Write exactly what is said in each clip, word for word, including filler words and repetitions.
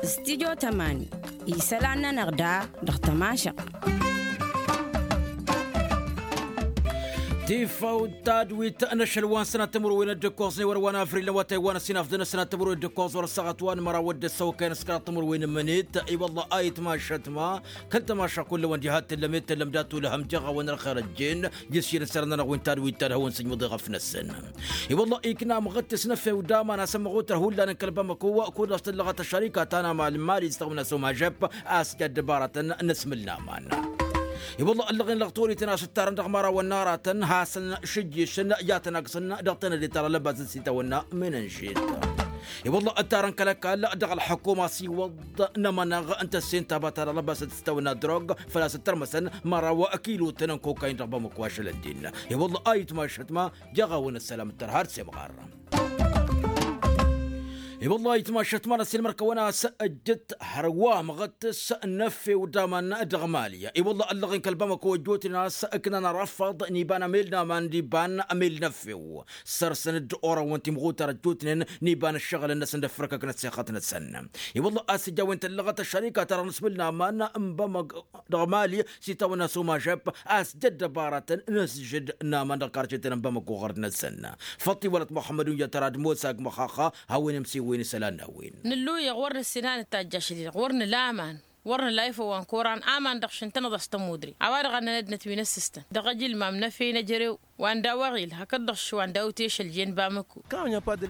Studyo tămani isălan-nănăɣ da dăɣ-tămašăɣt. Tifawt tadwit n-ašăl wa n-sănat timǝrwen d-ǝkkoẓ n-ewăr wa n-avril n-awătay wa n-ăsinafḍăn ăsnat timǝrwen d-ǝkkoẓ wăr-ăssaɣăt wa n-măraw d-ăssăwăkay n-ăskăraḍ timǝrwen n-imǝnet. I-wălla a itmašăt ma kăl-tămaša kull-ăwăn diha t-tǝllăm i-tǝllăm dat-ulhăm jeɣ-awăn ălxer ăjjeen. Jǝsšin sărănăn-awăn tadwit tadhăwăn sǝjmǝḍeɣ ăfnăsăn. I-wălla ikna măɣăt s-năfew d-aman asămmăɣ otăr hullan n-kăl-bamăko. Kud-dăɣ s-tǝllăɣăt ăššărika ta n-amal n-mali s-tăɣmǝn asomajăp a-s jadd ăbaratăn n-asmǝl n-aman. I-wălla ăllăɣen lăɣ torităn a-s ǝttarăn dăɣ-mărawăn n-aratăn hasăn-šǝjješăn i-ad-tăn-aksăn dăɣ-tenăde ta dăɣ-lăbasăn s-itawănna menănžet. I-wălla ǝttarăn kăl-ăkall dăɣ-ălḥăkkum a-s iwăḍ n-amănăɣ n-tăssin taba ta dăɣ-lăbasăn s-itawănna drog făl-a-s ǝttărmăsăn măraw akilotăn n-kokayin dăɣ-bamăko ašăl ăddin. I-wălla a itmašăt ma jeɣ-awăn ăssălam ǝttăr har semɣar. I-wălla a itmašăt ma n-ăssiilmăr-kăwăn a-s ăjjǝt hărwa măɣăt s-năffew d-aman dăɣ-mali. I-wălla ăllăɣen kăl-bamăko ăjjootnen a-s ǝknan arăfăḍ n-iba n-amel n-aman d-iba n-amel n-ăffew. Săr-săn-dd orăwăn timɣutar ăjjootnen n-iba n-ǝššăɣǝl-năsăn d-ăffrăkăk n-ăssexăt-năsăn. I-wălla a-s ǝjj a-wen tăllăɣăt ăššărika-ta-dăɣ n-asmǝl n-aman n-bamăg dăɣ-mali s-itawănna s-omăžăb a-s dd-ăbaratăn n-asjǝd n-aman dăɣ-karcetăn n-bamăko ɣărd-năsăn. Făṭṭiwălăt muḥămmăd uyyăt ăradmos agmăxaxa hawăn-imsiwăyăn isălan n-a-wen. Nǝlluyăɣ wăr nǝssin a nǝtajj ašăl-i-dăɣ wăr nǝla aman wăr nǝla ifăw wa n-koran aman dăɣ-šǝntănăḍ a-s tămudre. A-wa-dăɣ a nănădnăt wi n-ăssǝstăn dăɣ-ăjǝlmam n-efey n-ejărew wa n-daw-aɣil hakd-dăɣ šwa n-daw-teša ăljen bamăko.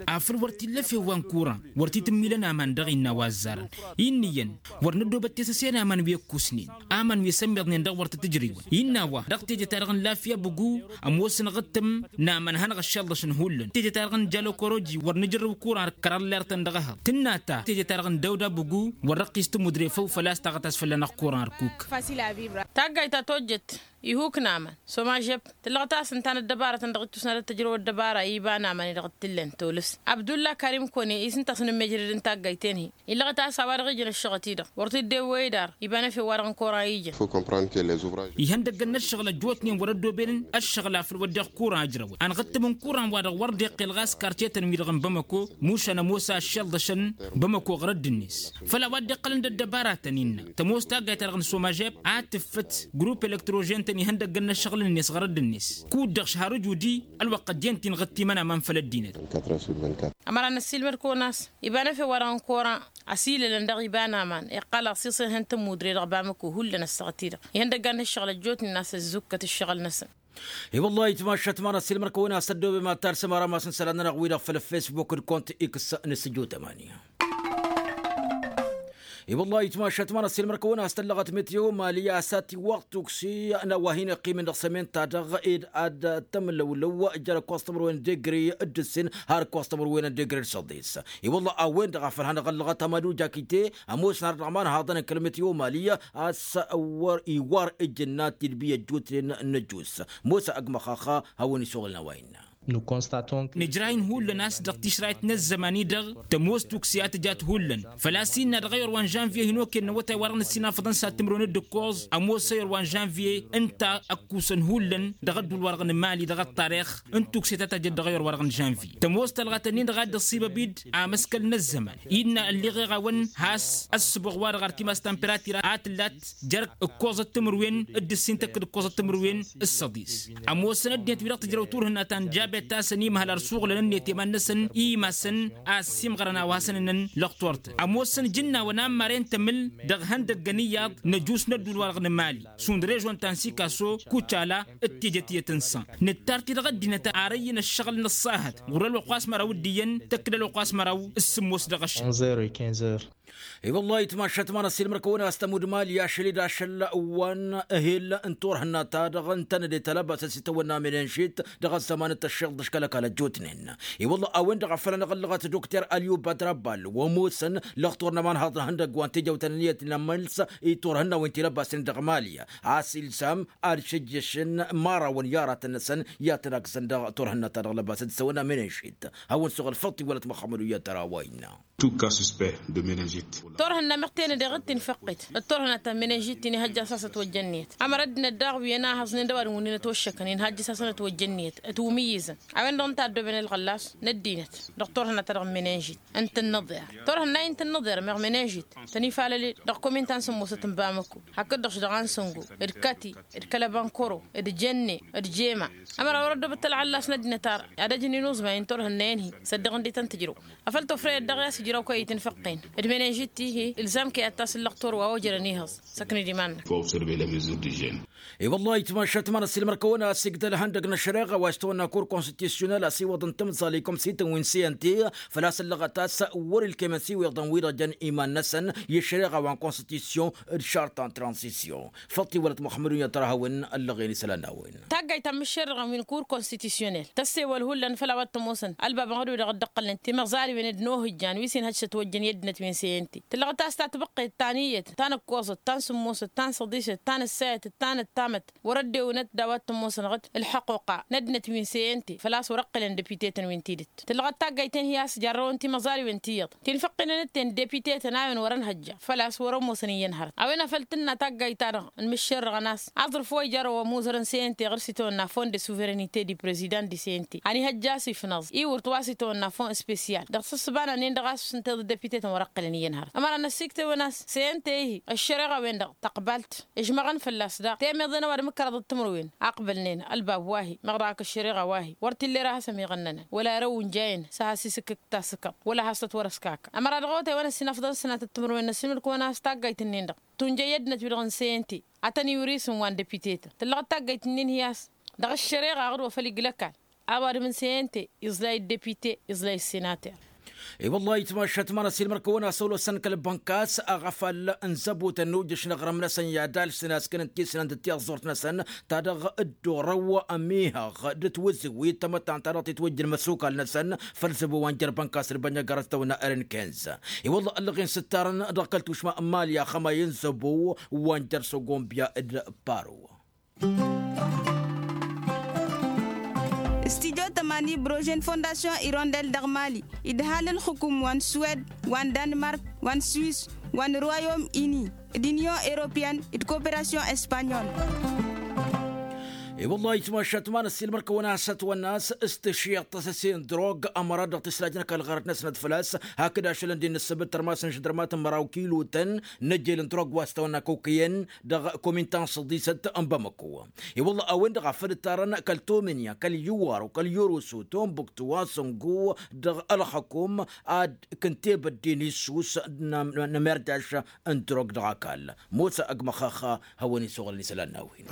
Afăl wăr t-illa efew wa n-koran wăr t-tǝmmilăn aman dăɣ-innă a-wa ăzzarăn. Innă iyyăn wăr năddoobăt tesăse n-aman wi ăkkusnen aman wi sămmiḍnen dăɣ-wăr tăt-ǝjrewăn innă a-wa dăɣ-teje-ta-dăɣ n-lafya bǝgu. Ămoosăn aɣǝttǝm n-aman a hanăɣ-ăššălḍăšăn hullan teje-ta-dăɣ n-jalokoroji wăr nǝjrăw kuran kăraḍ lertăn dăɣ-ehăḍ tǝnna ta teje-ta-dăɣ n-dawda bǝgu. Wăr-ăqqis tămudre făw făl-a-s taɣăt a-s fălla-năɣ kuran ărkuk. Taggayt ta tojjăt ihuk n-aman s-omažeb tǝllăɣăt a-s ǝnta n-ăddăbarătăn dăɣ-ittusna d-ăttăjrăw ăddăbara iba n-aman-i-dăɣ t-tǝllen tolǝs. Abdulla karim kone-i s-ǝnta a-s nǝmmejrăd n-taggayt-en-hi illăɣăt a-s a-wa-dăɣ ijăn ăššăɣăt-i-dăɣ wăr t-dd-ewwăy dar iba n-efew wa-dăɣ n-koran ijăn. Ihăndăggăn n-ăššăɣǝl ăjjootnen wăr-ăddooben ăššăɣǝl afăl wădden kuran ǝjrăwăn anɣǝttǝm n-kuran wa-dăɣ wăr dd-iqqel ɣas karcetăn-wi-dăɣ n-bamăko mušan ămoos a ăššălḍăšăn bamăko ɣărădd-net. Făll-a-wa dd-iqqălăn d-ăddăbaratăn innă tămoos taggayt-ta-dăɣ n-somăžeb ad-tǝffǝt grupp elektrožen-tăn ihăndăggăn n-ăššăɣǝl-net ɣărădd-net kud-dăɣ šhar ǝjudi. Ălwăqq ăjjeen-t-in ɣǝttimăn aman făll-ăddinăt. Ămăra n-ăssiilmăd-kăwăn a-s iba n-efew wa-dăɣ n-koran ăsilălăn dăɣ-iba n-aman iqqal aṣiṣ ihăn tămmudre dăɣ-bamăko hullan ăssaɣăt-i-dăɣ ihăndăggan n-ǝššăɣǝl ăjjootnen a-s ăzzukkăt ǝššăɣǝl-năsăn. I-wăllah itmašat ma n-ăssiilmăd-kăwăn a-s ăddoobe ma t-ad-sămărăm a-s n-isălan-nănăɣ wi-dăɣ făll-ăffesbuk d-kont x n-sǝjju tămani. I-wăllah itmašat ma n-ăssiilmăd-kăwăn a-s tăllăɣăt meteo mali a-s ad-tiwwăɣ tuksi n-a-wa hin-iqqimăn dăɣ-sămen-ta-dăɣ ed ad-tămlăwlăw jer-ǝkkoẓ timǝrwen degre d-ǝssin har ǝkkoẓ timǝrwen degre d-săḍis. I-wăllah a-wen-dăɣ a făl hanăɣ-ăllăɣăt amăduj akite ămoosăn ar dăɣ-imanhaḍăn n-kăl-meteo mali a-s wăr iwar ǝjǝnna tidbi ăjjootnen n-ăjjuus. Mosa ăgg măxaxa hawăn-isuɣǝlăn a-wa innă. Nǝjrah-in hullan a-s dăɣ-tišrayt n-ăzzăman-i-dăɣ tămoos tuksi a tǝjat hullan făl-a-s innă dăɣ-eyăr wa n-žănvye hin-okăyăn n-awătay wa dăɣ-nǝssin afăḍăn s-ad-timǝrwen d-ǝkkoẓ ămoos eyăr wa n-žănvye ǝnta ăkkusăn hullan dăɣ-ădduul-wa-dăɣ n-mali dăɣ-ăṭṭarix n-tuksi ta tăjăt dăɣ-eyăr wa dăɣ-nǝžănvye tămoos tălɣăt-ǝnnin-dăɣ a dd-ăṣṣibăb-dd amăskăl n-ăzzăman. Innă ălliɣeɣ-awăn has-ăssǝboɣ-wa-dăɣ ar timas temperatira a tǝllat jer-ǝkkoẓăt timǝrwen d-ǝssin tăkk-dd ǝkkoẓăt timǝrwen s-săḍis. Ămoosăn ăddinăt wi-dăɣ tǝjrăw turhǝnna ta n-jabet-tasăn imhăl ar suɣǝlăn ǝnniyăt i-iman-năsăn i-imasăn a ăssiimɣărăn a-wa hasăn-ǝnnăn lăxtur-tăn ămoosăn ǝjǝnnawăn ammar i-ǝntămǝl dăɣ-ihăndăggăn iyyăḍ n-ăjus n-ădduul-wa-dăɣ n-mali šund režon ta n-sikaso kucala d-tijăt iyyăt n-san. Nǝttar-t-i dăɣ-ăddinăt ar ăyyǝn ăššăɣǝl n-ăṣṣahăt ɣur-ălwăqq wa s-măraw d-iyyăn tăkk-dd ălwăqq wa s-măraw s-sǝmmos dăɣ-ašăl. I-wăllah itmašat ma n-ăssiilmăr-kăwăn a-s tămud mali ašăl-dd ašăl wa n-ehel n-turhǝnna-ta-dăɣ ǝntănăde talăbasăt s-itawănna menănšit dăɣ-ăzzăman d-tăššiḍ dăɣ-kăl-ăkall ăjjootnen. I-wăllah a-wen-dăɣ a făl anăɣ-ăllăɣăt dokter alyu badrabal wa ămoosăn lăxtur n-ămanhaḍ n-ihăndăgg wa n-tijăwt n-ǝnniyăt n-amăls i-turhǝnna-wen ti-lăbasen dăɣ-mali a-s ilsam ad-šǝjjǝšăn imărawăn i-aratăn-năsăn i-ad-tăn-agǝsăn dăɣ-turhǝnna-ta-dăɣ lăbasăt s-itawănna menănšit. Hawăn-suɣǝl făṭṭ iwălăt măxămmăd u-iyyăt ărawăyna. Tout cas suspect de meningite. Turhǝnna meɣ tenădeɣ d-tinfăqqet d-turhǝnna ta n-menănžit-ti n-ihăjja s-a-s ătwăjja ǝnniyăt. Ămăra dd-năddaɣ wi ănahăẓnen d-ăwadǝm wǝnnin ătwăššăkăn inhăjja s-a-s ănătwăjja ǝnniyăt. Ătwǝmǝyyǝzăn a-wen-dăɣ ǝnta a ăddooben ălɣăllas n-ăddinăt dăɣ-turhǝnna ta dăɣ-menănžit n-tǝnnăḍer. Turhǝnna-i n-tǝnnăḍer meɣ menănžit tăn-ifalăle dăɣ-komin ta n-sǝmmosăt n-bamăko hakd-dăɣ-š dăɣ-ansăngo d-kati d-kăl-ăbankoro d-jenne d-jema. Ămăra wăr-ăddoobăt ălɣăllas n-ăddinăt ar ad-ăjǝn inuẓmay n-turhǝnna-en-hi săddăɣ ǝndităn tǝjrăw. Afăl tofrăyăt daɣ i-ad-sǝjraw kăy-i tinfăqqen d-menănžit-ti-hi ǝlzam kăy-ad-tasǝllăɣ torwa ojărăn ihăẓ. Săkned iman-năk. I-wăllah itmašat ma n-ăssiilmăr-kăwăn a-s igdăl ihăndăg n-ăššăreɣa wa s-tăwănna kur konstitusyonal a-s iwăḍăn tamẓaley komsităn wi n-sente făl-a-s ǝllăɣăt a-s wăr-ilkemăn s-iwǝḍăn wi-dăɣ jăn iman-năsăn i-ăššăreɣa wa n-konstitusyon d-šarta n-transisyon. Făṭṭi wălăt muxămmăd wi n-ad-tărhawăn ăllăɣen isălan n-a-wen. Taggayt ta n-imǝššerrăɣăn wi n-kur konstitusyonel tăssewăl hullan făll-a-wa t-ămoosăn ălbabăn ɣădwi-dăɣ dd-ǝqqălnen timăẓaliwen d-inohǝjjan wi s-inhăj s-ătwăjjăn i-ăddinăt wi n-sente tǝllăɣăt a-s tatbăqqet ta n-iyyăt ta n-ǝkkoẓăt ta n-sǝmmosăt ta n-săḍisăt ta n-ǝssayăt ta n-ăttamăt. Wăr-ăddewǝnăt d-a-wa t-ămoosăn ɣǝd ǝlḥăquqa n-ăddinăt wi n-sente făl-a-s wăr ǝqqǝlăn depite-tăn wi n-tidǝt. Tǝllăɣăt taggayt-en-hi a-s jarrăwăn timăẓaliwen ti iyyăḍ tinfăqqinăn ǝtten depitetăn a-wen wăr-ănhăjja făl-a-s wăr-ămoosăn iyyăn hărăt a-wen a făl tǝnna taggayt-ta-dăɣ n-imǝššerrăɣăn a-s aẓrǝf wa ijarrăw ămuzărăn sente ɣur-s itawănna fond de suverenite di prezidant di sente a n-ihăjja a-s ifnăẓ iwǝrt wa s-itawănna fond spesyal dăɣ-sǝssǝbana-nen-dăɣ a-s ǝnta iḍǝd depitetăn wăr-ăqqǝlăn iyyăn hărăt ămăra n-ăssiktewăn a-s sente-hi ăššăreɣa-wen-dăɣ tăqbalt. Ǝžmăɣăn fălla-s daɣ temeḍe n-ăwadǝm d-kăraḍăt timǝrwen aqbălnen ălbab wa-hi meɣ dăɣ-ak ăššăreɣa wa-hi wăr t-illa era has-ămiɣănnănăn wăla erăw unjayăn s-ad-has-isǝkkǝk tasǝkkaḍt wăla has-tăt-wăr-ăskakăn ămăra dăɣ-awătay wa n-ăssinăfḍăn s-sănatăt timǝrwen n-ăssinǝlkăwăn a-s taggayt-nin-dăɣ tunjăy i-ăddinăt wi-dăɣ n-sente. Ad-tăn-iwǝr-isǝm wa n-depitetăn tǝllăɣăt taggayt-nin-hi a-s dăɣ-ăššăreɣa ɣur-wa făl iglăkal. A-wa dăɣ-mǝnsăyăn-te iẓlay d-depite iẓlay d-senater. I-wăllah itmašat ma n-ăssiilmăr-kăwăn a-s ălwăsăn kăl-bănkas aɣăfal n-zăbutăn n-ujǝš n-aɣrǝm-năsăn i-ad-alsǝn a-s kănăn tisnăn d-tiẓẓurt-năsăn ta dăɣ-dd-orăw ămihăɣ d-tiwǝzǝwit tamăttant ta dăɣ-titwǝjjǝn măsukal-năsăn. Făll-zăbu wa n-jer-bănkas d-bănjăgărăt tăwna ărǝnkǝnz i-wăllah ăllăɣen s-ǝttarăn dăɣ-kăl-tušma n-mali axămay n-zăbu wa n-jer-săgombya d-paro. Studyo tămani brožen fondasyon irondel dăɣ-mali idhal ǝlxǝkum wa n-suwed wa n-danmark wa n-swis wa n-royom ini d-inyon europeyăn d-koperasyon espanyol. I-wăllah itmašat ma n-ăssiilmăr-kăwăn a-s ătwănna a-s s-tǝššiḍt tăsăse n-drog ămăra dăɣ-tisrajăn kăl-ɣărăt-năsnăt făl-a-s hakd ašălăn d-innă ǝssăbǝt tărmasăn š-dărmatăn măraw kilotăn n-ejel n-drog wa s-tăwănna kokiyen dăɣ-komin ta n-săḍisăt n-bamăko. I-wălla a-wen-dăɣ a făl ǝttarăn kăl-tomǝnya kăl-iwaro kăl-irusu tombuktu asǝngu dăɣ-ălxăkum ad-kǝntebădden issus n-amerdaš n-drog dăɣ-ăkall. Mosa ăgg măxxăx hawăn-isuɣǝlăn isălan n-a-wen.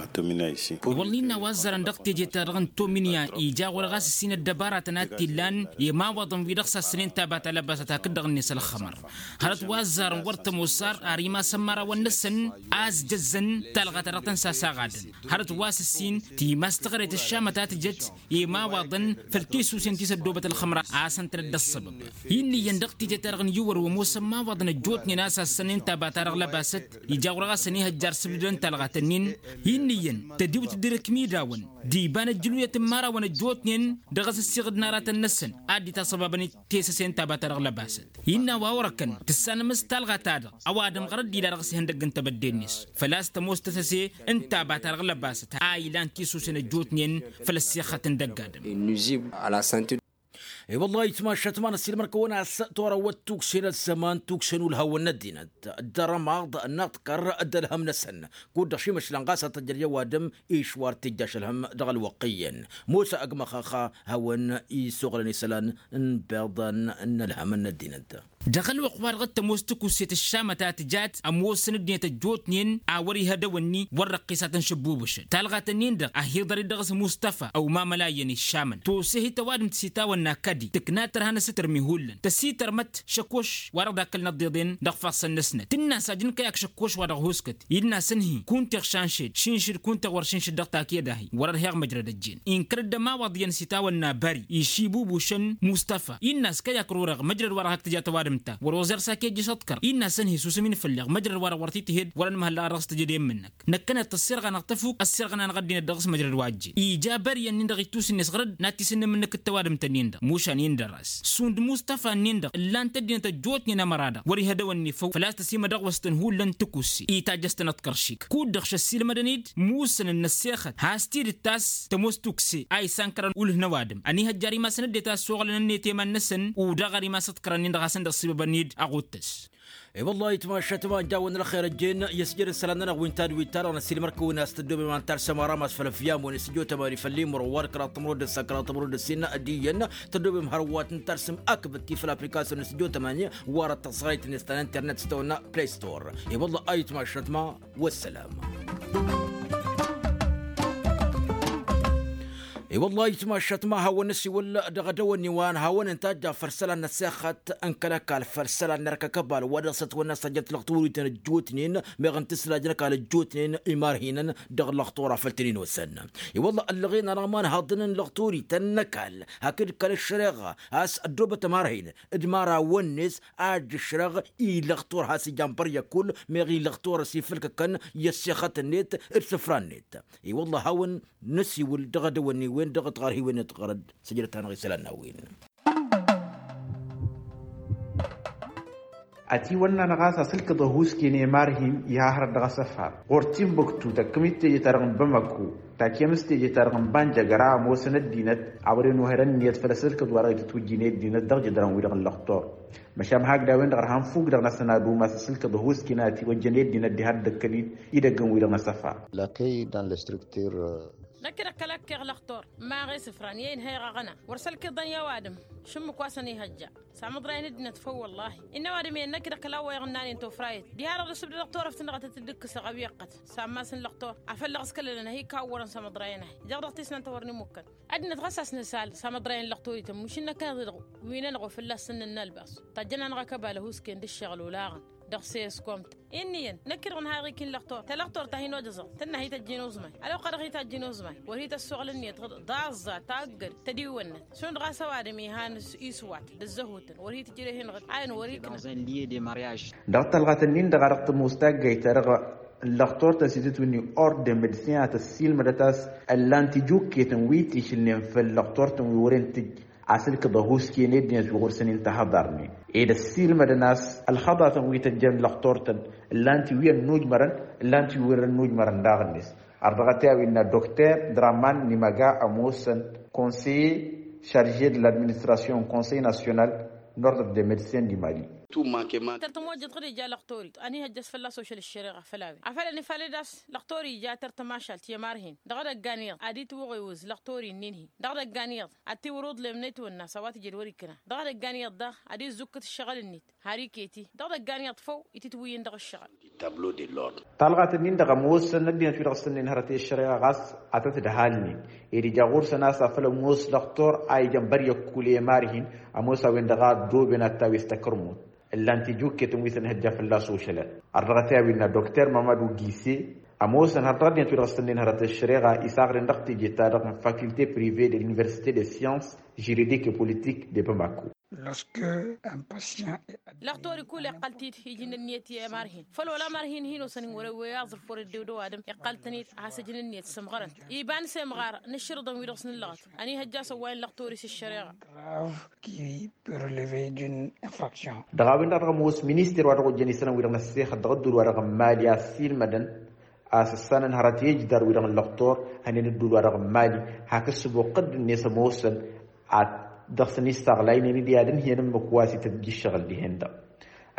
Wălla innă a-wa ăzzarăn dăɣ-teje-ta-dăɣ n-tomǝnya ija ɣur-e ɣas ǝssin ăddăbaratăn a t-illan i-imawaḍăn wi-dăɣ sassănen taba ta lăbasăt hakd-dăɣ-net ălxămăr. Hărăt wa ăzzarăn wăr tămoos ar ar imasăn imărawăn-năsăn a-s jăzzăn talɣa-ta-dăɣ tăn-sasaɣadăn hărăt wa s-ǝssin timas tăɣret ăššamăt a tǝjăt i-imawaḍăn făll-tisusen ti s-ăddoobăt ălxămăr a-s ǝntănăt d-ăṣṣăbăb. Innă iyyăn dăɣ-teje-ta-dăɣ n-iwăr wa ămoosăn imawaḍăn ăjjootnen a-s assănnen taba-ta-dăɣ lăbasăt ija ɣur-e ɣas ănihăjjar s-ǝbdădăn talɣa-tăn-in. Innă iyyăn tădiwt dd-irǝkmidawăn d-iba n-ăjjǝluyăt n-imărawăn ăjjootnen dăɣ-asǝssiɣǝd n-aratăn-năsăn ad-dd-itaṣăbabăn tesăse n-taba-ta-dăɣ lăbasăt. Innă a-wa orăkăn tǝssanăm s-talɣa-ta-dăɣ ăwadǝm ɣărăt d-ila dăɣ-s ihăndăgg n-tebădde-net făl-a-s tămoos tesăse n-taba-ta-dăɣ lăbasăt a ilan tisusen ăjjootnen făll-ăssixăt n-dăgg-adǝm. I-wălla itmašat ma n-ăssiilmăr-kăwăn a-s torăwăt tukse n-ăzzăman tukse n-ulhawăn n-ăddinăt d-arămaḍ n-aḍkăr d-ălhăm-năsăn kud-dăɣ šimăšlan ɣas ad-t-ăjrăj ăwadǝm išwar tijjaš ălhăm dăɣ-ălwăqq iyyăn. Mosa ăgg măxxăx hawăn-isuɣǝlăn isălan n-ibeḍăn n-ălhăm n-ăddinăt. Dăɣ-ălwăqq-wa-dăɣ t-ămoos tikuset ăššamăt a tǝjat ămoosăn ăddinăt ăjjootnen a wăr-ihădăw ǝnni wăr răqqisat n-šăbbubǝšăn talɣat-ǝnnin-dăɣ a hi-iḍăr-dd dăɣ-s mustăfa ăwmamăla iyyăn iššamăn tose-hi tăwadǝmt s-itawănna kădi tǝkna tărha n-asǝtărmi hullan tăsitărmăt šăkoš wa dăɣ-dd-akkălăn ăḍḍeḍen dăɣ-ifassăn-năsnăt tǝnna a-s ajǝn kăy-ak šăkkoš wa dăɣ-hoskăt. Id-nasăn-hi kunta iɣšanšed šinšǝd kunta iɣwăr šinšǝd dăɣ-takeda-hi wăr-ărheɣ măjrăd ăjjeen inkăr-dd ămawaḍ iyyăn s-itawănna bări išibubušăn mustăfa inn'-as kăy-ak rureɣ măjrăd wa dăɣ-hak tǝja tăwadǝm. Ǝnta wăr-oẓer s-ak ejjăš ăḍkăr innă a-s ănhǝy s-usǝm-in făll-eɣ măjrăd wa-dăɣ wăr t-tǝhhed wăr-ănmăhăl daɣ ad-dăɣ-s tǝjăd i-ǝmmǝnnăk. Năkkăneḍ tăssirɣa-năɣ tăfuk ăssirɣăna-năɣ ăddinăt dăɣ-s măjrăd wa ăjjeen ija băryăn-nin-dăɣ ittus-net ɣăr-dd n-ad-t-isǝnnǝm ǝnnǝk d-tăwadǝmt-nin-dăɣ mušan-in dăr-as šund mustafa-nin-dăɣ ǝllan-t ăddinăt ăjjootnen ămăra-dăɣ wăr-ihădăwăn n-efăw făl-a-s tăsimădăɣwăst-tăn hullan tǝkusse. Itajjăš-tăn ăḍkăr šik kud-dăɣ šăssilmădăn-dd musǝnăn n-ăssexăt has-tidǝt ta s-tămoos tukse a isankărăn ulh n-ăwadǝm ănihăjjar imasăn ăddinăt a ăssoɣlăn ănniyăt i-iman-năsăn. Udaɣ ar imas ăḍkărăn-in-dăɣ hasăn-dăɣ sibăbăn-dd ăɣuttăs. I-wăllah ayǝtmašat ma ăjjawăn ălxer ăjjeen i-ăsjăd isălan-nănăɣ wi n-tadwit-ta-dăɣ n-ăssiilmăr-kăwăn a-s tăddoobem an-tarsa mara mas făll-ăfyam-wen isǝjjo tămani făll-imro wa d-kăraḍ tămrăwăt d-ǝssa kăraḍ tămrăwăt d-ǝssin. Ăddiyyăn tăddoobem hărwa tǝntărsǝm akbăt ti făll-aplikasyon isǝjjo tămani. Wa răttăẓrăyt-net ta n-internet s-tăwănna play store. I-wăllah ayǝtmašat ma wăssalama. I-wăllah ayǝtmašat ma hawăn-năsiwǝl dăɣ-edăwănni wa n-hawăn-nǝtajja făll-isălan n-ăssexăt n-kăl-ăkall făll-isălan n-erk ăkăbal wa dăɣ-s ătwănna a-s ăjjăt lăxtur-i tăn-ǝjjootnen meɣ n-tǝslajnăk a lăjjootnen imarhinăn. Dăɣ-lăxtur a făl tăn-in-osăn i-wăllah ăllăɣen-anăɣ ma n-haḍăn n-lăxtur-i tăn-năkall hakd kăl-ăššăreɣa a-s ăddoobăt ămarhinăn d-imărawăn-net a ǝjjǝšrăɣ i-lăxtur has-ijan băryăk kull meɣ i-lăxtur ăsifǝlkăkăn i-ăssexăt-net d-isǝfra-net. I-wăllah a hawăn-năsiwǝl dăɣ-edăwănni-wen dăɣ-tiɣărhiwen-net ɣărăd săjdăt-anăɣ isălan n-a-wen. Ătiwănna-năɣ a-s asǝlkǝḍ ăhuusken i-imarhin iha hărăt dăɣ-asăfar ɣur-timbuktu tăkkăm-dd teje-ta-dăɣ n-bamako. Takǝyăm s-teje-ta-dăɣ n-banjăgăra ămoosăn ăddinăt a wăren ohărăn ǝnniyăt făll-asǝlkǝḍ wa dăɣ-itwǝjjǝn i-ăddinăt dăɣ-jǝdran-wi-dăɣ n-lăxtur. Măšan hakd a-wen-dăɣ ărha n-fuk-dăɣ n-ad-săn ad-umas asǝlkǝḍ ăhuusken a ătiwăjjăn i-ăddinăt diha dd-ăkkăl-dd idăggăn-wi-dăɣ n-asăfar. Lakăy dan lăstruktǝr. Năkk-dăɣ kăl-ăkkeɣ lăxtur n-imaɣ isǝfran i-inhăyăɣ aɣăna wăr sălkǝḍăn i-ăwadǝm. Šǝmmǝk wa săn ihăjja s-amăḍrayăn ăddinăt făw wăllahi. Innă ăwadǝm iyyăn năkk-dăɣ kăla wa iɣǝnnanen tofrayăt diha-dăɣ dăr-s ǝbdădăɣ turăft-năɣ a tăt-dd-ǝkkǝsăɣ a-wi ăqqăt s-ammas n-lăxtur. Afăl dăɣ-s kăl-ălăn ad-hi-kawwărăn s-amăḍrayăn-ahi jăɣ dăɣ-tisnant a wărăn imukkăn. Ăddinăt ɣas a-s nǝsal s-amăḍrayăn n-lăxtor-ităn mušǝnnăk-anăɣ-dăɣ wi-nănăɣ wa fălla-s săn nǝnnalbas. Tajjăn-anăɣ akăbal ăhuusken d-ǝššăɣǝl olaɣăn dăɣ-s eskompt. Inn'-iyyăn năkk-dăɣ nǝha iɣik-in lăxtor ta lăxtor ta hin-ojăẓăɣ tǝnna hi-tăjjin uzmay ălwăqq-a-dăɣ hi-tajjin uzmay wăr hi-tăssoɣlăn iyyăt ɣǝd daẓẓa taggăd tădiwănnăt šund ɣas ăwadǝm ihan iswat d-ǝzzăhutăn wăr hi-tǝjreh inɣǝd a inwăr iknăn. Dăɣ-talɣat-ǝnnin-dăɣ a dăɣ-tămoos taggayt-ta-dăɣ n-lăxtor-tăn s-itǝtwǝnni ordre de medecin a tăssiilmădăt a-s ǝllan-t ijukketăn wi t-išǝlnen făll-lăxtor-tăn wi wăren tǝjj asǝlkǝḍ ăhuusken i-ăddinăt wi ɣur-săn intăhăḍarnen ed ăssiilmădăn a-s ălxăḍatăn wi tăjjăn lăxtor-tăn ǝllan-t wi ănnujmărăn ǝllan-t wi wăr-ănnujmărăn daɣ-net. Ar dăɣ-t i-a-wi innă dokter draman n-imăga ămoosăn conseiller charge de l'administration n-conseil national n-ordre de medecin du mali. Tăr-tămojjăt ɣǝd ija lăxtor-i ănihăjjăs fălla-s ošăl ăššăreɣa făll-a-wen afăl ănifalăd a-s lăxtor-i ija tăr-tămašalt i-ămarhin dăɣ-edăggan iyyăḍ ad-itwăɣ iwǝz lăxtor-i ǝnnin-hi dăɣ-edăggan iyyăḍ ad-tiwăr uḍlem n-etwănna s-a-wa tǝjed wăr-ikkǝna dăɣ-edăggan iyyăḍ daɣ ad-izzǝkkǝt ǝššăɣǝl-net har iket-i dăɣ-edăggan iyyăḍ făw itǝtwǝyyǝn dăɣ-ǝššăɣǝl. Talɣat-ǝnnin-dăɣ ămoosăn ăddinăt wi dăɣ-s tǝnnin hărăt i-ăššăreɣa ɣas ad-tăt-dd-halnen ed ija ɣur-săn a-s afăl ămoos lăxtor a ijăn băryăkku i-imarhin ămoos a-wen-dăɣ a ăddooben ad-tawes takărmut ǝllan-t ijukketăn wi s-ănhăjja fălla-s ošălăn. Har dăɣ-t i-a-wi innă dokter mamadu gise ămoosăn har dăɣ-ăddinăt wi dăɣ-s tǝnnin hărăt i-ăššăreɣa isaɣren dăɣ-teje-ta-dăɣ n-fakulte prive de l'universite de science juridique et politique de bamako. Lăxtor-i kull iqqăl-t-dd ijǝn ǝnniyăt i-ămarhin făl wăla ămarhin hin-osăn hin-wăr-ăwwăy aẓrǝf wăr-ăddew d-ăwadǝm iqqăl-tăn-dd a has-ǝjǝn ǝnniyăt sǝmɣărăn iba n-semɣar n-aššărǝḍăn wi dăɣ-s nǝllăɣăt. Ănihăjja a-s ăwwayăn lăxtor-i s-ǝššăreɣa. Dăɣ-a-wen-dăɣ dăɣ-ămoos minister wa dăɣ-ojjăn isălan wi-dăɣ n-ăssexăt dăɣ-ăddul wa dăɣ-n mali a ăssiilmădăn a-s ǝssanăn hărăt i-ǝjdar wi-dăɣ n-lăxtor hănen ăddul wa dăɣ-n mali hak ǝssǝbo ǝqqǝd-net ămoosăn ad-dăɣ-săn issaɣlaynen-dd i-ad-ǝnhǝyăn ǝmmǝk wa s-ităt ija ǝššăɣǝl dihen-dăɣ.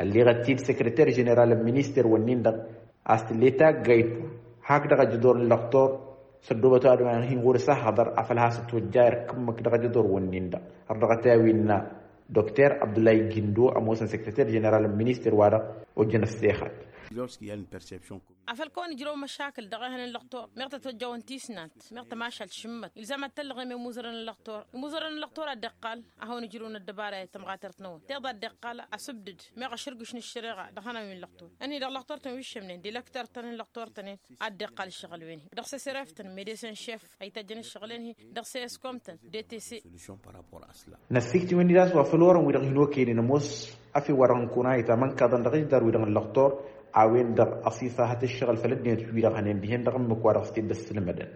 Ălleɣăt-t-dd săkrăter ženeral n-minister-wǝnnin-dăɣ a-s tǝlle taggayt hakdăɣ ajădor n-lăxtor s-ăddoobăt ăwadǝm-ahi ɣur-s ăhhăḍăr afăl has-ătwăjja irk ǝmmǝk dăɣ-ajădor-wǝnnin-dăɣ. Har dăɣ-t i-a-wi innă dokter abdullahi gindo ămoosăn săkrăter ženeral n-minister wa dăɣ-ojjăn ăssexăt. Afăl kăwăn-ǝjrăw măšakǝl dăɣ-ehăn n-lăxtor meɣ tăt-ojjăwăn tisnant meɣ tămašalt šǝmmăt ilzam ad-tăllăɣem i-imuzărăn n-lăxtor. Imuzărăn n-lăxtor a dd-iqqal ad-hawăn-ǝjrǝwăn ăddăbara i-tămɣatărt-năwăn tiḍa a dd-iqqal asǝbdǝd meɣ ašrǝgǝš n-ǝššăreɣa dăɣ-ihănan wi n-lăxtor. Ǝnhǝy dăɣ-lăxtor-tăn wi ǝššămnen d-ilăktăr-tăn n-lăxtor-tăn-in a dd-iqqal ǝššăɣǝl-wen-hi dăɣ-s ăsref-tăn medesen šef a ităjjăn ǝššăɣǝl-en-hi dăɣ-s eskom-tăn. Detese. Năssikt'-iwen-dd a-s wa făl orăn-wi-dăɣ hin-okăynen ămoos afew wa dăɣ-nǝkun a itamănkaḍăn dăɣ-ijdar-wi-dăɣ n-lăxtor a-wen-dăɣ ăṣiṣahăt ǝššăɣǝl făll-ăddinăt-wi-dăɣ hănen dihen dăɣ-ǝmmǝk wa dăɣ-s t-dd-ăssǝlmădăn.